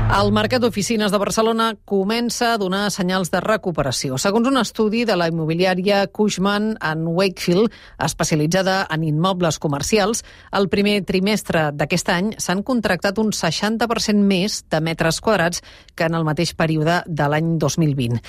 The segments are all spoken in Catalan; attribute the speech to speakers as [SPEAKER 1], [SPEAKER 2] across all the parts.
[SPEAKER 1] El mercat d'oficines de Barcelona comença a donar senyals de recuperació. Segons un estudi de la immobiliària Cushman & Wakefield, especialitzada en immobles comercials, el primer trimestre d'aquest any s'han contractat un 60% més de metres quadrats que en el mateix període de l'any 2020.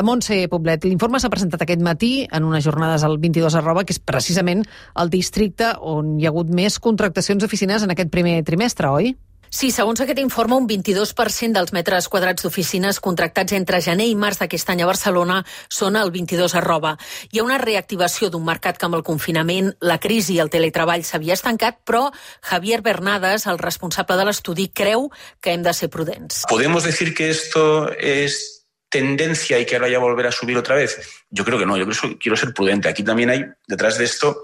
[SPEAKER 1] Montse Poblet, l'informe s'ha presentat aquest matí en unes jornades al 22@, que és precisament el districte on hi ha hagut més contractacions d'oficines en aquest primer trimestre, oi?
[SPEAKER 2] Sí, segons aquest informe, un 22% dels metres quadrats d'oficines contractats entre gener i març d'aquest any a Barcelona són al 22@. Hi ha una reactivació d'un mercat que amb el confinament, la crisi i el teletreball s'havia estancat, però Javier Bernades, el responsable de l'estudi, creu que hem de ser prudents.
[SPEAKER 3] ¿Podemos decir que esto es tendencia y que ahora ya volver a subir otra vez? Yo creo que no, yo quiero ser prudente. Aquí también detrás de esto,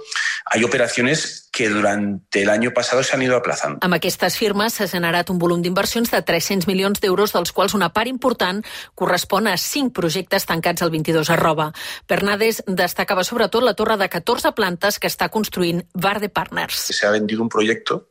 [SPEAKER 3] hay operaciones que durante el año pasado se han ido aplazando.
[SPEAKER 2] Amb aquestes firmes s'ha generat un volum d'inversions de 300 milions d'euros, dels quals una part important correspon a 5 projectes tancats al 22@. Bernades destacava sobretot la torre de 14 plantes que està construint Varde Partners.
[SPEAKER 3] Se ha vendido un proyecto,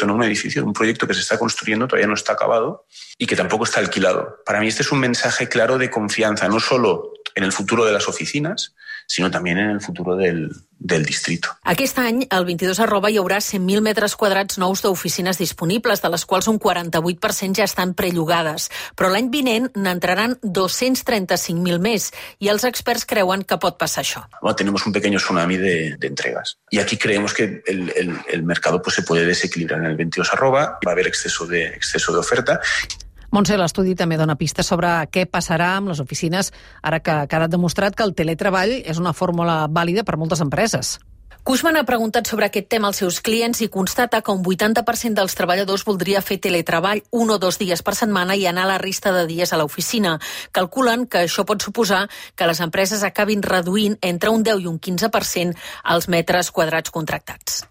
[SPEAKER 3] no un edificio, un proyecto que se está construyendo, todavía no está acabado y que tampoco está alquilado. Para mí este es un mensaje claro de confianza, no solo en el futuro de las oficinas, sinó també en el futur del distrito.
[SPEAKER 2] Aquest any, al 22@ hi haurà 100.000 metres quadrats nous d'oficines disponibles, de les quals un 48% ja estan prellogades. Però l'any vinent n'entraran 235.000 més i els experts creuen que pot passar això.
[SPEAKER 3] Bueno, tenemos un pequeño tsunami de entregas. Y aquí creemos que el mercado pues, se puede desequilibrar en el 22@, va a haber exceso de oferta.
[SPEAKER 1] Montse, l'estudi també dona pistes sobre què passarà amb les oficines ara que ha quedat demostrat que el teletreball és una fórmula vàlida per moltes empreses.
[SPEAKER 2] Cushman ha preguntat sobre aquest tema als seus clients i constata que un 80% dels treballadors voldria fer teletreball 1 o 2 dies per setmana i anar a la resta de dies a l'oficina. Calculen que això pot suposar que les empreses acabin reduint entre un 10 i un 15% els metres quadrats contractats.